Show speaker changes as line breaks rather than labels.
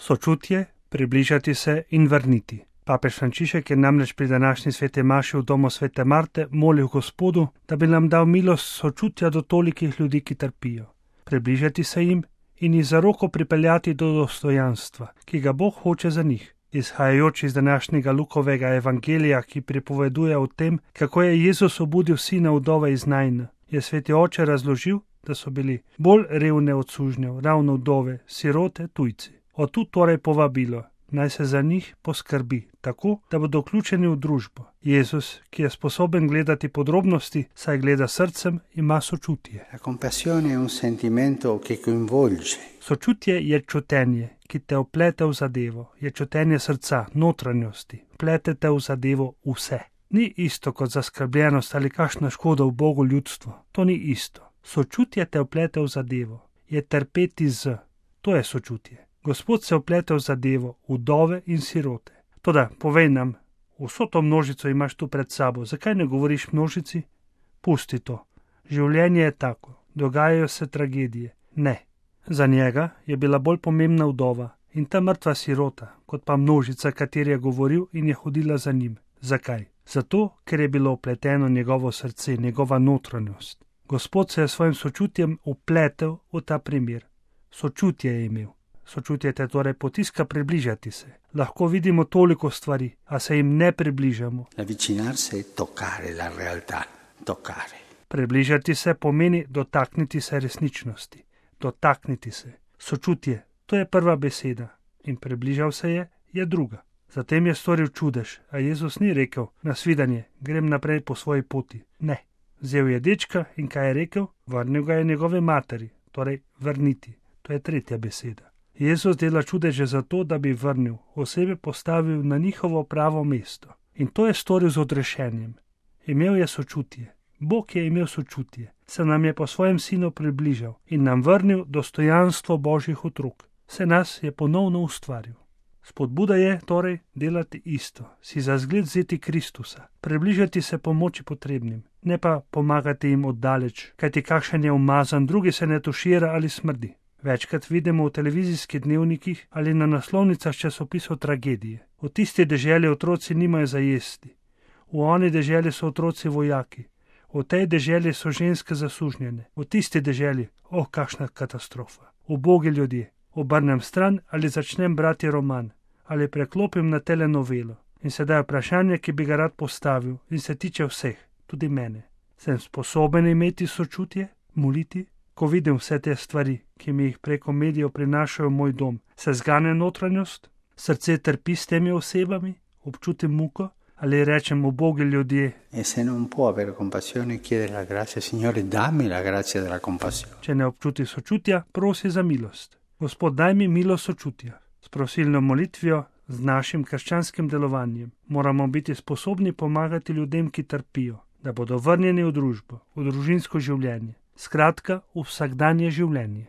Sočutje, približati se in vrniti. Papež Frančišek je namreč pri današnji sveti maši v domu svete Marte molil Gospodu, da bi nam dal milost sočutja do tolikih ljudi, ki trpijo. Približati se jim in jih za roko pripeljati do dostojanstva, ki ga Bog hoče za njih. Izhajajoč iz današnjega Lukovega evangelija, ki pripoveduje o tem, kako je Jezus obudil sina vdove iz Najna, je sveti oče razložil, da so bili bolj revne od sužnjev, ravno vdove, sirote, tujci. Od tu torej povabilo, naj se za njih poskrbi, tako, da bodo vključeni v družbo. Jezus, ki je sposoben gledati podrobnosti, saj gleda srcem, ima sočutje.
La compassione è un sentimento che coinvolge.
Sočutje je čutenje, ki te vplete v zadevo, je čutenje srca, notranjosti, vplete te v zadevo vse. Ni isto kot zaskrbljenost ali kakšna škoda v Bogu ljudstvo, to ni isto. Sočutje te vplete v zadevo, je trpeti z, to je sočutje. Gospod se vplete v zadevo, vdove in sirote. Toda, povej nam, vso to množico imaš tu pred sabo, zakaj ne govoriš množici? Pusti to. Življenje je tako, dogajajo se tragedije. Ne. Za njega je bila bolj pomembna vdova in ta mrtva sirota, kot pa množica, kateri je govoril in je hodila za njim. Zakaj? Zato, ker je bilo vpleteno njegovo srce, njegova notranjost. Gospod se je svojim sočutjem vpletel v ta primer. Sočutje je imel. Sočutje te torej potiska približati se. Lahko vidimo toliko stvari, a se jim ne približamo.
Avvicinarsi e toccare la realtà. Toccare.
Približati se pomeni dotakniti se resničnosti. Dotakniti se. Sočutje, to je prva beseda. In približal se je druga. Zatem je storil čudež, a Jezus ni rekel, nasvidenje, grem naprej po svoji poti. Ne. Vzel je dečka in kaj je rekel? Vrnil ga je njegove materi, torej vrniti. To je tretja beseda. Jezus dela čudeže zato, da bi vrnil, osebe postavil na njihovo pravo mesto. In to je storil z odrešenjem. Imel je sočutje. Bog je imel sočutje. Se nam je po svojem sinu približal in nam vrnil dostojanstvo Božjih otrok. Se nas je ponovno ustvaril. Spodbuda je torej delati isto, si za zgled vzeti Kristusa, približati se pomoči potrebnim, ne pa pomagati jim oddaleč, kajti kakšen je umazan, drugi se ne tušira ali smrdi. Večkrat vidimo v televizijskih dnevnikih ali na naslovnicah časopisov tragedije. V tisti deželi otroci nimajo za jesti, v oni deželi so otroci vojaki, v tej deželi so ženske zasužnjene, v tisti deželi, kakšna katastrofa. Ubogi ljudje, obrnem stran ali začnem brati roman, ali preklopim na telenovelo. In sedaj vprašanje, ki bi ga rad postavil in se tiče vseh, tudi mene. Sem sposoben imeti sočutje, moliti? Ko vidim vse te stvari, ki mi jih preko medijev prinašajo v moj dom, se zgane notranjost? Srce trpi s temi osebami? Občutim muko? Ali rečem ubogi ljudje?
E se non può avere compassione, chiede la grazia, Signore, dammi la grazia della compassione.
Če ne občuti sočutja, prosi za milost. Gospod, daj mi milost sočutja. S prosilno molitvijo, z našim krščanskim delovanjem, moramo biti sposobni pomagati ljudem, ki trpijo, da bodo vrnjeni v družbo, v družinsko življenje. Skratka, v vsakdanje življenje.